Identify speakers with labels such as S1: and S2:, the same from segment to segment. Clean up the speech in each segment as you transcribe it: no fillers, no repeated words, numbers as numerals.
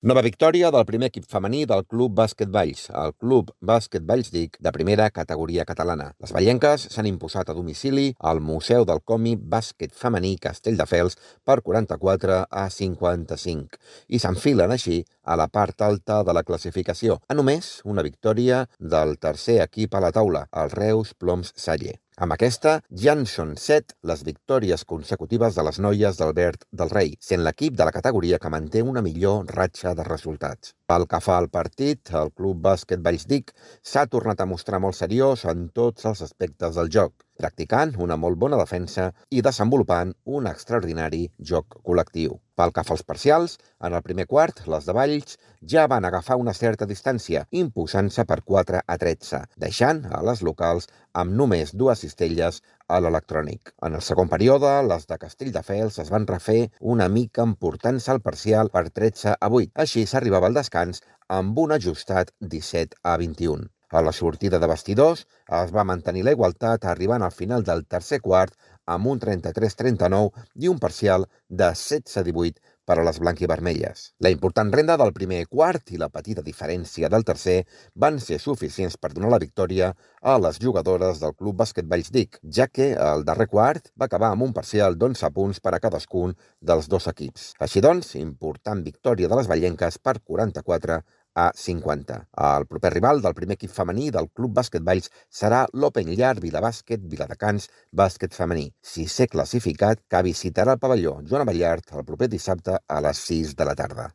S1: Nova victòria del primer equip femení del Club Bàsquet Valls, el Club Bàsquet Valls DIC de primera categoria catalana. Les vallenques s'han imposat a domicili al Museu del Còmic Bàsquet Femení Castelldefels per 44-55 i s'enfilen així a la part alta de la classificació, a només una victòria del tercer equip a la taula, el Reus Ploms Saller. Amb aquesta, ja en són 7 les victòries consecutives de les noies d'Albert del Rei, sent l'equip de la categoria que manté una millor ratxa de resultats. Pel que fa al partit, el Club Bàsquet Valls DIC s'ha tornat a mostrar molt seriós en tots els aspectes del joc, practicant una molt bona defensa i desenvolupant un extraordinari joc col·lectiu. Pel que fa als parcials, en el primer quart, les de Valls ja van agafar una certa distància, imposant-se per 4-13, deixant a les locals amb només 2 cistelles a l'electrònic. En el segon període, les de Castelldefels es van refer una mica emportant-se al parcial per 13-8. Així s'arribava al descans amb un ajustat 17-21. A la sortida de vestidors es va mantenir la igualtat arribant al final del tercer quart amb un 33-39 i un parcial de 16-18 per a les blanquivermelles. La important renda del primer quart i la petita diferència del tercer van ser suficients per donar la victòria a les jugadores del Club Bàsquet Valls DIC, ja que el darrer quart va acabar amb un parcial d'11 punts per a cadascun dels 2 equips. Així doncs, important victòria de les vallenques per 44-50. El proper rival del primer equip femení del Club Bàsquet Valls serà l'Open Llar Vilabàsquet Viladecans Bàsquet Femení, 6è classificat, que visitarà el pavelló Joan Abellart el proper dissabte a les 6 de la tarda.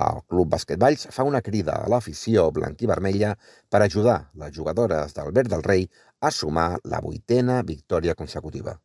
S1: El Club Bàsquet Valls fa una crida a l'afició blanquivermella per ajudar les jugadores d'Albert del Rei a sumar la 8a victòria consecutiva.